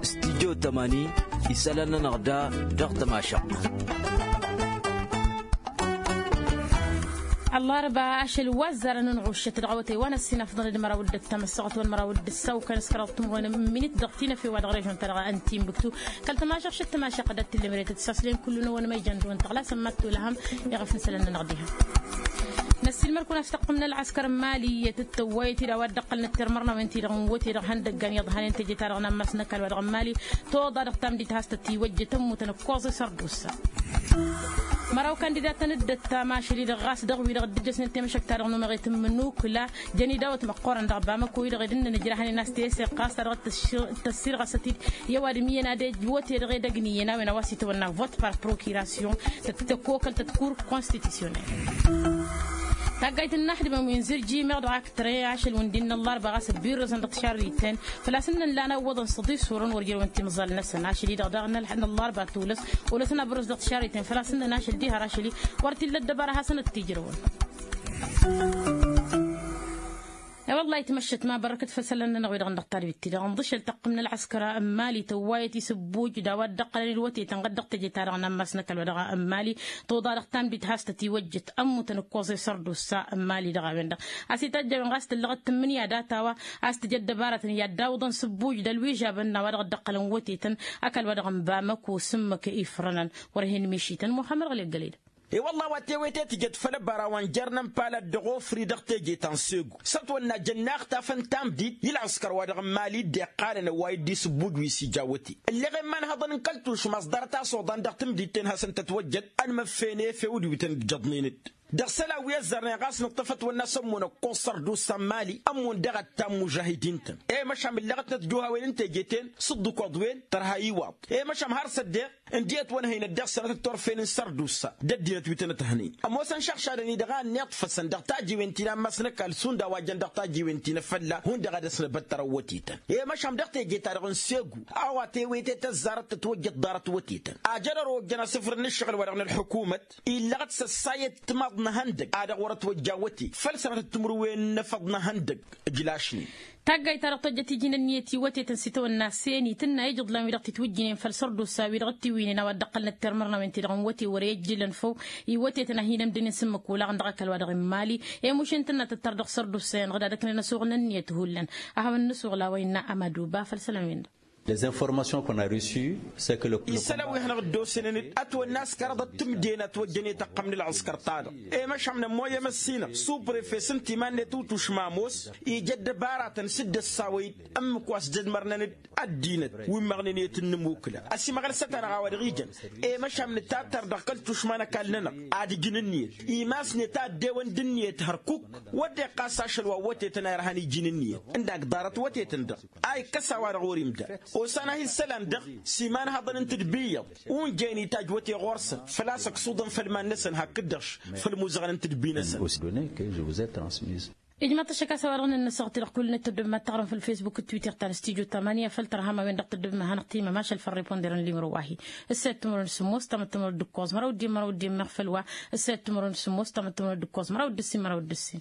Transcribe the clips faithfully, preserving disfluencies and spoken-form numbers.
Studyo tămani isălan-nănăɣ da dăɣ-tămašăɣt. Ăllarba ašăl wa ăzzarăn n-ɣuššăt dăɣ-awătay wa n-ăssinăfḍăn d-măraw d-ăttămăssăɣăt wăn măraw d-ăssaw kăn s-kăraḍ timɣwen n-minit dăɣ-tinăfe wa dăɣ-režon-ta-dăɣ n-timbuktu. Kăl-tămašăɣ šăt tămašăɣ d-ad-tǝllem ere tăt-saslen kullu-năwăn ma ijăn dăɣ-wăn tăɣlasăn mad-tolăhăm. Iɣăf n-isălan-nănăɣ diha. Năssiilmăr-kăwăn a-s tăqqǝmnăl ăskăr n-mali i-tǝttăwwayăt-dd a-wa dd-ăqqălnăt tirmărnawen-ti-dăɣ n-wăte-dăɣ ihăndăggan i-iḍhănen teje-ta-dăɣ n-ammas n-ăkall wa dăɣ-n mali. Toḍa dăɣ-tamdit has-tăt-iwăjjăt ămmutăn ǝkkoẓ i-sărdusa. Măraw kandidatăn dd-ăttam ašăl-i-dăɣ ɣas dăɣ-wi-dăɣ dd-ǝjjăsnen temăšăkt-ta-dăɣ n-umăɣet n-imǝnukǝla. Jăn idawăt măqqoorăn dăɣ-bamăko-i-dăɣ ed ǝnnăn ǝjrahăn-in a-s tesăɣ ɣas ta dăɣ-tăssirɣăsăt-dd i-ăwadǝm iyyăn ad-ej wăte-dăɣ edăgg n-iyyăn a-wen a-wa s-itawănna vot par prokiration. Tăt-tăkokăl tăt-kur konstitisyonel. Taggayt n-inaxdǝmăn wi n-zǝrji meɣ dăɣ-ak tăre ašăl wǝndin n-ăllarba ɣas ăbbirrăzăn dăɣ-tišarriten. Făl-a-s ǝnnăn lan ăwwăḍăn săḍisurăn wăr jărăwăn timẓal-năsăn ašăl-i-dăɣ daɣ n-ăllarba tulăs. Olăsăn abărrăz dăɣ-tišarriten făl-a-s ǝnnăn ašăl diha ar ašăl-i wăr t-illa ăddăbara hasăn-dd-tijrăwăn. E-wălla-hi tmăššăt ma bărrăkăt făll-isălan-nănăɣ-wi-dăɣ n-dăɣ-tadbit-ti-dăɣ ǝnḍǝšăl tăqqǝmnăl ăskăr n-mali tăwwayăt isǝbbuj d-a-wa dd-ăqqălăn d-wătetăn ɣǝd-dăɣ teje-ta-dăɣ n-ammas n-ăkall wa dăɣ-n mali. Toḍa dăɣ-tamdit has-tăt-iwăjjăt ămmutăn ǝkkoẓ i-sărdusa n-mali dăɣ-a-wen-dăɣ a-s itajjăwen ɣas tǝllăɣăt tǝmmǝnǝya data-wa a-s tǝj ăddăbarătăn i-ad-dawǝḍăn sǝbbuj d-ălwižabăn n-a-wa dăɣ-dd-ăqqălăn wătetăn. Ăkall wa dăɣ-n bamăko s-ǝmmǝk ifrănăn wăr hin-mišităn muxămmăd ɣǝli ăggălăy-dăɣ. E-wălla-hi wa tewete tǝjăt făll-ăbara wa n-jer-inǝnpal ad-dăɣ-ofri dăɣ-teje ta n-segu s-ătwănna jănnaɣ tafăn tamdit i-ălɣǝskăr wa dăɣ-n mali dd-iqqalăn ăwway dd-isǝbbuj wi s-ija wăte. Ǝlleɣ i-iman hăḍăn n-kăl-tušma a-s ḍarăt-as oḍan dăɣ-tǝmdit-ten hasăn-tătwăjjăt ănmăffene efew d-wi tăn-ǝjjăḍnen-dd dăɣ-isălan wi ăzzarnen ɣas nǝṭṭăf ătwănna s-ămmon ăkkoẓ sărdusa n-mali ămmon daɣ ăttam mužahidin-tăn. I-măšan ǝlleɣ-t inătjuhawen n-teje-ten s-ǝḍḍǝkoḍ-wen tărha iwaḍ. I-măšan har s-ăddeɣ ǝndiyăt wa n-hăynăt dăɣ-săn ad-tăt-turfen n-sărdusa d-ăddinăt wi tăn-ăthănen ămoosăn šăɣšadăn-i-dăɣ a ănniḍfăsăn dăɣ-tajiwen ti n-ammas n-ăkall šund a-wa jăn dăɣ-tajiwen ti n-afălla hundăɣ a dăɣ-s năbăttăr ăwwătetăn. I-măšan dăɣ-teje-ta-dăɣ n-segu a-wa tewete tăzzarăt tătwăjjăt ḍarăt wătetăn ajădăr ojjăn asǝfrǝd n-ǝššăɣǝl wa dăɣ-nălḥǝkumăt illăɣ-t s-ăssayăt timaḍ n-ehăndăg a dăɣ-wăr-ătwăjja wăte făll-sănatăt timǝrwen n-efăḍ n-ehăndăg. Ǝjlašnen. Taggayt-ta-dăɣ tojjăt iji n-ǝnniyăt i-wătetăn s-itawănna seni tǝnna ijǝḍlan wi dăɣ-titwǝjjǝnen făll-sărdusa wi dăɣ-tiwǝynen a-wa dd-ăqqălnăt termărnawen-ti-dăɣ n-wăte wăr-e ǝjjǝlăn făw. I-wătetăn a hin-ămdǝnen s-ǝmmǝk olaɣăn dăɣ-ăkall wa dăɣ-n mali i-mušin tǝnna tǝttăr dăɣ-sărdusa-en ɣǝd ad-ăknen ăsuɣ n-ǝnniyăt hullan. A hawăn-nǝsuɣ la wa innă amadu ba făll-isălan-wen-dăɣ. Isălan wi hanăɣ-dd-osănăn-dd ătwănna askăr ad-ăttǝmden ătwăjjănet ăqqămnăl ăskăr-ta-dăɣ. I-măšan nămmoy ămăssinăɣ suprefe s-ǝnta iman-net utušma ămoos ija ăddăbaratăn s-dd-ăssawăy-dd ǝmmǝk wa s-jădmărnăn-dd ăddinăt wi ǝmmăɣnen i-tǝnnǝmukǝla ăsimăɣlăsăt-anăɣ a-wa dăɣ-ijăn. I-măšan nǝtattăr dăɣ-kăl-tušma n-ăkall-nănăɣ ad-ǝjǝn ǝnniyăt imass-net a ăddewăn d-ǝnniyăt hărkuk wăr dd-iqqas ašăl wa n-wătetăn a irhan iji n-ǝnniyăt ǝndak ḍarăt wătetăn-dăɣ. A ikkăs a-wa-dăɣ orimda osan-ahi isălan-dăɣ s-imanhăḍăn n-tadbi iyyăḍ. Unjăyăn itajj wăte ɣur-săn făl-a-s ăksuḍăn făll-iman-năsăn hakd-dăɣ făll-imuzăɣăn n-tadbi-năsăn. Ijmaḍ-t ăššăk a-s a-wa-dăɣ nănnăsăɣ-t-dăɣ kull-net tăddobem ad-taɣrǝm făll-facebook d-twitter ta n-studyo tamania făll-tărham a-wen-dăɣ tăddobem ad-hanăɣ-timăm ašăl făll-riponder n-limro wa-hi. Ǝssayăt timărwen d-sǝmmos tamăt timărwen d-ǝkkoẓ măraw d-immărwen d-immăɣ făll-wa. Ǝssayăt timărwen d-sǝmmos tamăt timărwen d-ǝkkoẓ măraw d-ǝssin măraw d-ǝssin.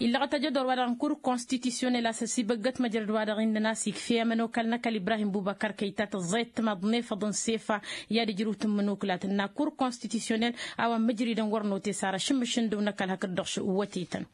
Illăɣăt ajădor-wa-dăɣ n-kur konstitisyonel a-s ăsibăggăt măjrăd-wa-dăɣ innăn a-s ikf'-e amănokal n-ăkall ibrahim bubăkăr kăyta tǝẓẓayăt timaḍ n-efăḍ n-sefa. I-ad-ǝjrǝw tǝmmǝnukǝla tǝnna kur konstitisyonel a-wa n-mǝjridăn wăr note s-ar ašǝmmǝšǝndǝw n-ăkall hakd-dăɣ šăwwătetăn.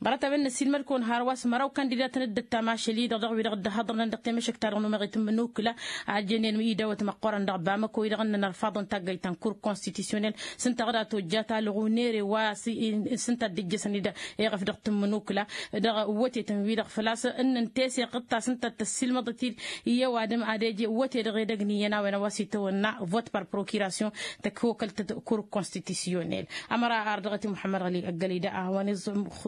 Ḍarăt-a-wen năsiilmăd-kăwăn hărwa s-măraw kandidatăn dd-ăttam ašăl-i-dăɣ dăɣ-wi-dăɣ dd-ăhhăḍrănăn dăɣ-temăšăkt-ta-dăɣ n-umăɣit n-imǝnukǝla. A ăjjănen idawăt măqqoorăn dăɣ-bamăko-i-dăɣ ǝnnăn ărfaḍăn taggayt ta n-kur konstitisyonel s-ǝnta ɣǝd a tojja talɣu n-ere wa s-ǝnta a dd-ǝjjăsăn-dd iɣăf dăɣ-tǝmmǝnukǝla dăɣ-wătetăn-wi-dăɣ făl-a-s ǝnnăn teseɣt ta s-ǝnta a t-ăssiilmăḍăt-dd i-ăwadǝm ad-eje wăte-dăɣ edăgg n-iyyăn a-wen a-wa s-itawănna vot par prokiration. Tăkokăl-tăt kur konstitisyonel ămăra ar dăɣ-t i-muḥămmăd ɣăli ăggălăy da a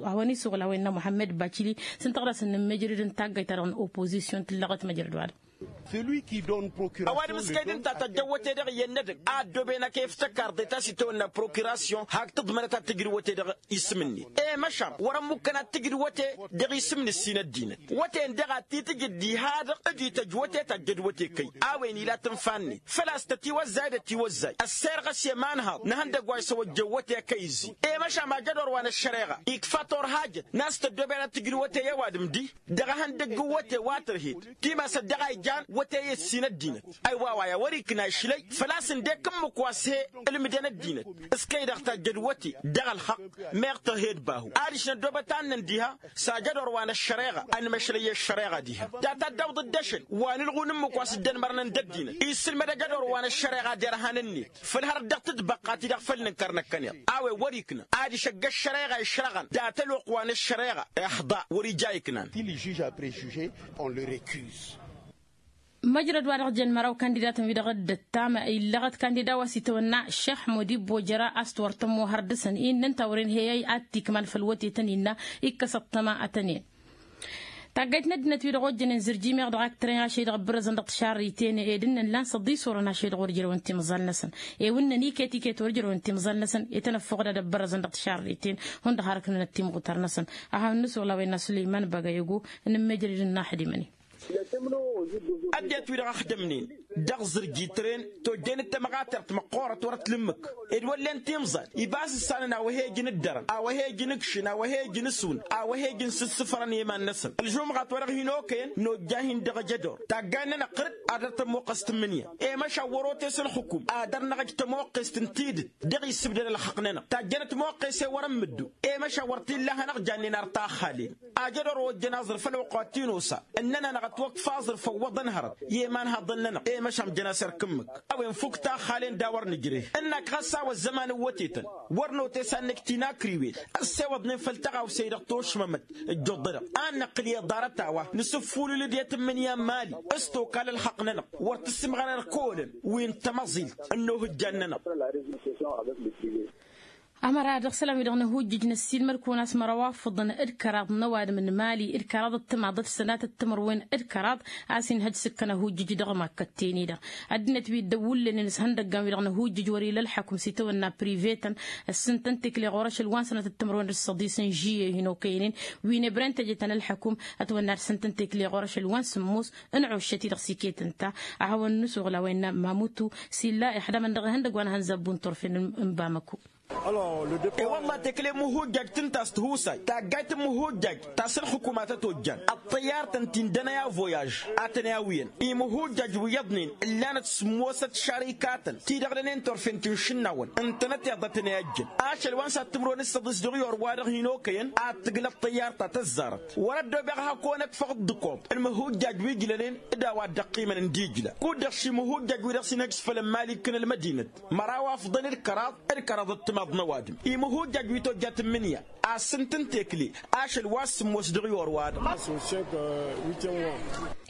hawăn-isuɣǝl a-wa innă muḥămmăd bacili s-ǝnta ɣǝd a-s ǝnnǝmmejrǝd n-taggayt-ta-dăɣ n-opozisyon tǝllăɣăt măjrăd-wa-dăɣ. Ăwadǝm s-kăy-dăɣ ǝnta tăjjăn wăte-dăɣ iyyăn n-edăgg a ăddooben ad-kăy-iftăkk arḍe ta s-itawănna prokirasyon hak tǝḍmărăt ad-tǝjrǝw wăte-dăɣ isǝm-net. E-măšan wăr-ămmuk kănat tǝjǝd wăte dăɣ-isǝm n-ǝssin ăddinăt. Wăten-dăɣ ad-t-tǝjǝd diha-dăɣ d-ităjj wăte tajjăd wăte kăy a-wen ila tǝnfa-net făl-a-s tătiwăzzay d-ătiwăzzay ăssirɣăs i-ămanhăḍ n-ehăndăgg wa isăwăjjăn wăte kăy-ǝzzi. E-măšan ajădor wa n-ăššăreɣa ikfa turhajăt n-a-s tăddoben ad-tǝjǝd wăte i-ăwadǝm-di dăɣ-ehăndăgg n-wăte wa tărhed timasăt dăɣ-a ijan wăte i-ǝssin ăddinăt. Ăyy wa wa i-a wăr-ikna išlăy făl-a-s ǝndek ǝmmǝk wa s-he-ǝlmǝdăn ăddinăt s-kăy-dăɣ tajjăd wăte dăɣ-ălxăqq. Meɣ tărhed bahu adiš năddoobăt annăn diha s-ajădor wa n-ăššăreɣa ănmăšlăy i-ăššăreɣa diha. Data dd-awǝḍ-dd ašăl wa n-ǝlɣun ǝmmǝk wa s-dd-ănmărnăn d-ăddinăt isǝlmăd ajădor wa n-ăššăreɣa derhan-net făll-hărăt dăɣ-tǝtbăqqa-ti-dăɣ făll-nǝnkăr năkkăneḍ. A-wen wăr-ikna adiš ăgg-ăššăreɣa išrăɣăn data ălwăqq wa n-ăššăreɣa iḥḍa wăr-ija iknan. Ti le juge a prejuje on le recuse. Măjrăd wa dăɣ-jăn măraw kandidatăn-wi-dăɣ dd-ăttam illăɣăt kandida wa s-itawănna šex modibbo jăra a-s t-wăr tămmohăr dăɣ-săn innă ǝnta wăren heyăy ad-t-ikmal făll-wătetăn innă ikkăs ăṭṭăma ad-tăn-en. Taggayt n-ăddinăt-wi-dăɣ ojjănen zǝrji meɣ dăɣ-ak tărăyăn ašăl-i-dăɣ ǝbbărăzăn dăɣ-tišarriten ed ǝnnăn lan s-ăḍḍisurăn ašăl-i-dăɣ wăr jărăwăn timẓal-năsăn. Ewǝnnăn iket iket wăr jărăwăn timẓal-năsăn. Itănăffoɣ d-ad-ăbbărăzăn dăɣ-tišarriten hundăɣ har ǝknănăt timɣutar-năsăn. Aha ănnăsuɣ la wa innă sulăyman băgăyăgo n-ǝmmejrăd d-ănnaxdimăn-i. Ăddinăt-wi-dăɣ ăxdămnen dăɣ-zǝrji tren tojjen d-tamɣatert măqqoorăt wăr-ătlǝmmǝk ed wăllen timẓal ibas ǝssanăn a-wa he-ijǝn ǝddărăn a-wa he-ijǝn ǝkšǝn a-wa he-ijǝn ǝswǝn a-wa he-ijǝn sǝssǝfărăn i-iman-năsăn. Ălžumɣat wa dăɣ-hin-okăyăn nojja-hin dăɣ-ejădor taggayen-nănăɣ ɣǝr-dd ad-dăr-tămoqqăst tǝmmǝnǝya. I-măšan wăr-otes ălxǝkum ad-dăr-năɣ ăj tămoqqest n-tidǝt dăɣ-isǝbdăd ălxăqq-nănăɣ tajjăn ătmoqqes i-wăr-ămmǝddu. I-măšan wăr t-illa a hanăɣ-jannen ar taxxalen. Ajădor ojjăn aẓrǝf ălwăqq wa t-inus a ǝnnăn-anăɣ ătwăkf aẓrǝf ăwwăḍăn hărăt i-imanhaḍăn-nănăɣ i-măšan jăn-as erk ǝmmǝk. A-wen fukk taxxalen d-a-wăr nǝjreh ǝnnak ɣas a-wa ăzzăman n-wătetăn wăr notes a ǝnnǝk tinakriwen ăssewăḍnen făll-tăɣawse-i-dăɣ tošmămăt. Ǝjjuḍ-dăɣ a năqqǝl i-iḍarăt a-wa nǝsǝffulǝl-dd i-tǝmmǝnǝya n-imali s-tokal ălxăqq-nănăɣ wăr tǝssǝmɣăr erk olăn wi n-tamăẓilt n-ohǝjjan-nănăɣ. Ămăra dăɣ-isălan-wi-dăɣ n-ahujjǝj n-ăssiilmăd-kăwăn a-s măraw afǝḍăn d-kăraḍ n-ăwadǝm n-imali d-kăraḍ d-timaḍ d-sănatăt timǝrwen d-kăraḍ a-s inhăj s-ǝkkăn ahujjǝj dăɣ-imakkătten-i-dăɣ. Ăddinăt wi dd-ăwwǝllănen s-ihăndăggan-wi-dăɣ n-ahujjǝj wăr-ila ălḥăkum s-itawănna privetăn ăssintăn tekle ɣur-ašăl wa n-sănatăt timǝrwen d-ǝssăḍis n-žiyye hin-okăynen wi n-ebren teje-tăn ălḥăkum. Ătwănna d-sǝntăn tekle ɣur-ašăl wa n-sǝmmos n-ăuššăt-i-dăɣ s-iket ǝnta. A hawăn-nǝsuɣǝl a-wa innă mamutu s-illa ixdamăn dăɣ-ihăndăgg wa n-ehăn zabbun turfen n-bamăko. E-wălla tekle imǝhujjaj tǝnta a-s tihusay taggayt n-imǝhujjaj ta s-ălxǝkumat ătojjan ăṭṭăyyar-tăn ti n-dănăy avoyaj a tăn-i-awǝyăn. Imǝhujjaj wi iyyăḍnen ǝllanăt sǝmmosăt šarikatăn ti-dăɣ dănen turfen ti n-išǝnnawăn ǝntănăt iḍa tăn-i-ăjjăn. Ašăl wa n-sattǝmrăwăn d-săḍis dăɣ-i or-wa-dăɣ hin-okăyăn ad-tǝglăt ăṭṭăyyar ta tăzzarăt. Wăr-ăddoobeɣ hak-onăkfăɣ ǝḍḍǝkoḍ n-imǝhujjaj wi ǝjlănen d-a-wa dd-ăqqimăn n-dijla kud-dăɣ šimǝhujjaj wi-dăɣ s-inhăj s-făll-ămmal ikkăn ălmădinăt. Măraw afḍăn d-kăraḍ d-kăraḍ d-timaḍ n-ăwadǝm imǝhujjaj wi tojja tǝmmǝnǝya. Asǝntǝn tekle ašăl wa s-sǝmmos dăɣ-i or-wa-dăɣ.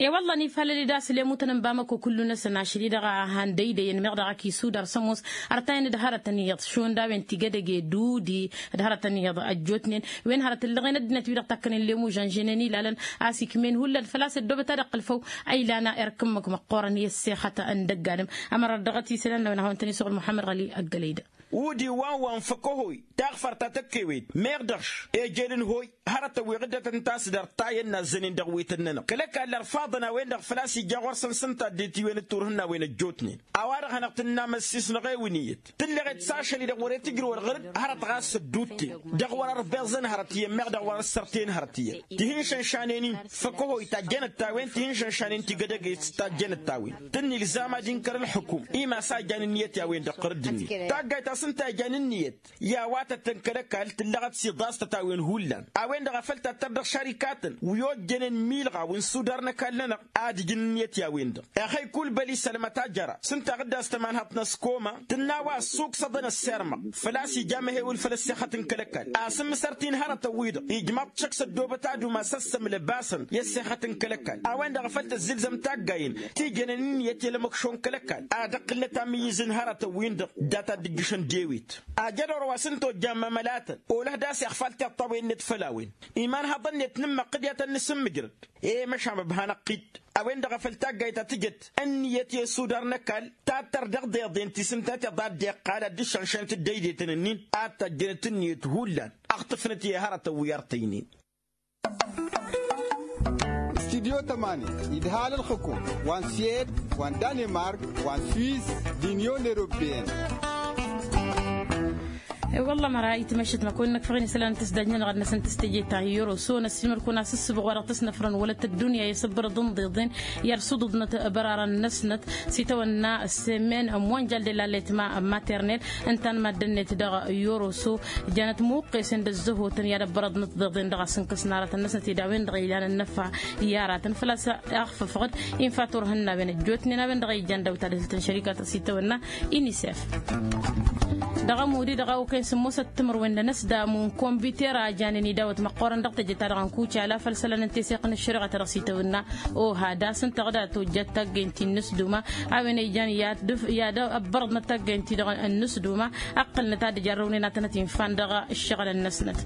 E-wălla nifalăl-dd a-s lemutăn n-bamăko kullu-năsăn ašăl-i-dăɣ a han dăydăyăn meɣ dăɣ-ak isudar s-ămoos. Ărtayăn d-hărătăn iyyăḍ šund a-wen ti gădăge dudi d-hărătăn iyyăḍ ăjjootnen wen hărăt ǝllăɣen ăddinăt-wi-dăɣ takkănen lemu žănžănen ilalăn a-s ikmen hullan făl-a-s ăddoobăt ad-ăqqǝl făw. A ilan erk ǝmmǝk măqqoorăn i-ăssexăt n-dăgg-adǝm. Ămăra dăɣ-t isălan n-a-wen ad-hawăn-tăn-isuɣǝl muḥămmăd ɣăli ăggălăy-dăɣ. Udi wa n-wa n-făkăhoy taɣfărt ta tăkkewet meɣ dăɣ-š eje d-ǝnhoy. Hărătăn wi ɣǝddătăn tasdărt ta i-ănnazzănen dăɣ-wităn-nănăɣ kăl-ăkall ărfaḍăn a-wen-dăɣ făl-a-s ija ɣur-săn s-ǝnta dd-itiwen d-turhǝnnawen ăjjootnen. A-wa-dăɣ hanăɣ-tǝnnamăssisnăɣ ewǝn iyyăt tǝlleɣet s-ašăl-i-dăɣ wăr-e tǝjrǝwăn ɣǝr-dd hărăt ɣas ădduutten dăɣ-wăr-ărbeẓăn hărăt iyyăn meɣ dăɣ-wăr ăssărten hărăt iyyăn. Tihǝnšănšanen-in făkăhoy tajjănăt-t-a-wen tihǝnšănšanen ti gădăget s-tajjănăt-t-a-wen tǝnnǝlzam ad-inkăr ǝlxǝkum. Imas a jan ǝnniyăt i-a-wen-dăɣ ɣǝr-dd-net taggayt a-s ǝnta a jan ǝnniyăt i-a-wa tăt-tăn kăl-ăkall tǝllăɣăt s-iḍastăt a-wen hullan. A-wen-dăɣ a făl tattăr dăɣ-šarikatăn wi ojjănen milɣaw n-sudar n-ăkall-nănăɣ ad-ǝjǝn ǝnniyăt i-a-wen-dăɣ. Exăy kulbăl isălmăt a jăra s-ǝnta ɣǝddas tămanhaḍt n-ăskoma tǝnna a-wa ăssuksăḍăn ăssirmăɣ făl-a-s ija amăhewǝl făll-ăssexăt n-kăl-ăkall. Asǝmmǝsăr-t-in hărătăn-wi-dăɣ ijmaḍ-t šăkk s-ăddoobăt ad-umas ăssămlăbasăn i-ăssexăt n-kăl-ăkall. A-wen-dăɣ a făl tăzzǝlzăm taggayen ti jănen ǝnniyăt i-ălmăkšo n-kăl-ăkall ad-ǝqqǝlnăt amǝyyǝz n-hărătăn-win-dăɣ data dd-ǝjjǝšăn d-ewet. Ajădor wa s-ǝnta ojjan mămălatăn olăh d-a-s iɣfal tiṭṭawen-net făll-a-wen. Iman haḍăn-net n-ǝmmăqqǝd i-ad-tăn-nǝsǝmmǝjrăd. E-măšan ăbhan ăqqit a-wen-dăɣ a făl taggayt ta tǝjăt ǝnniyăt i-isudar n-ăkall ta tăr dăɣ-deḍen ti s-ǝnta tiḍa a dd-iqqal ad-dd-ǝššănšănăt dd-ăydetăn-ǝnnin. Ad-tăjjănăt ǝnniyăt hullan ăɣtǝfnăt i-hărătăn wi ărtăynen. Studyo tămani idhal ǝlxǝkum wa n-suyed wa n-danemark wa n-suis d-inyon europeyăn. E-wălla măra itmăššăt măkon năkfăɣ-in isălan n-tǝsdajnen ɣad-năsăn tǝstejeta i-oroso năsimăl-kăwăn-as ǝssǝbɣ wa dăɣ-tăsnăfrăn wăla tăddunya i-asǝbbărăḍ ǝnḍeḍen i-ad-sǝḍuḍnăt bărarăn-năsnăt s-itawănna sămen monjal de la letma maternel. Ǝnta n-maddǝn-net dăɣ-i oroso jănăt muqqesen d-ăzzăhotăn i-ad-ăbbărăḍnăt tiḍeḍen dăɣ-a-s ǝnkăsnarătăn-năsnăt ed a-wen-dăɣ ilan ănnăfa i-aratăn făl-a-s ăɣfăfăɣ-dd infa turhǝnnawen ăjjootnen a-wen-dăɣ a ijjan dăw-ta d-hǝltăn šărikatăɣ s-itawănna inisef. Dăɣ-ămudi-dăɣ a okăyăn sǝmmosăt timǝrwen d-anăsdam n-kombiter a janen idawăt măqqoorăn dăɣ-teje-ta-dăɣ n-kucala făll-isălan n-teseɣt n-ăššăreɣa-ta-dăɣ s-itawănna oha d-a-s ǝnta ɣǝd a tojjat taggăynt-i n-inǝsduma a-wen a ijan i-ad-ăbbărăḍnăt taggăynt-i-dăɣ n-inǝsduma. Ăqqǝlnăt ad-ǝjarrăwnen ad-tănăt-infan dăɣ-ǝššăɣǝlăn-năsnăt.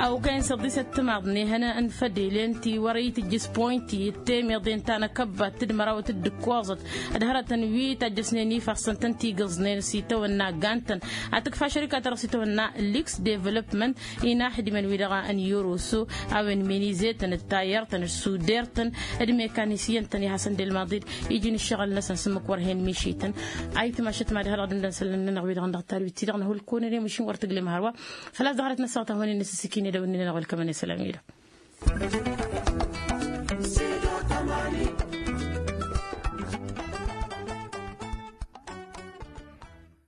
A okăyăn s-ăḍḍisăt timaḍnehăn n-fădelen ti wăr-itǝjjǝs poyinti d-temeḍen ta n-akăbbat d-mărawăt d-ǝkkoẓăt d-hărătăn wi tajjăsnen ifassăn-tăn ti gǝẓnen s-itawănna gantăn ad-tǝkfa šărika-ta-dăɣ s-itawănna liks development. Inaxdimăn-wi-dăɣ n-iroso a-wen menizetăn d-tayăr-tăn d-suder-tăn d-mekanisyăn-tăn i-hasăn d-elmaḍi-dd iji n-ǝššăɣǝl-năsăn s-ǝmmǝk wăr hen mišităn. Ayǝtmašăt mad-hărăɣ d-imdăn isălan-nănăɣ wi-dăɣ n-dăɣ-tarwit-ti-dăɣ năhulkăwăn ere măšin wăr tǝglem hărwa. Făl-a-s dăɣ-hărăt n-ăssaɣăt a hawăn-in-nǝsǝsǝkin edăwănnin-nănăɣ welkămăn isălan-wi-dăɣ.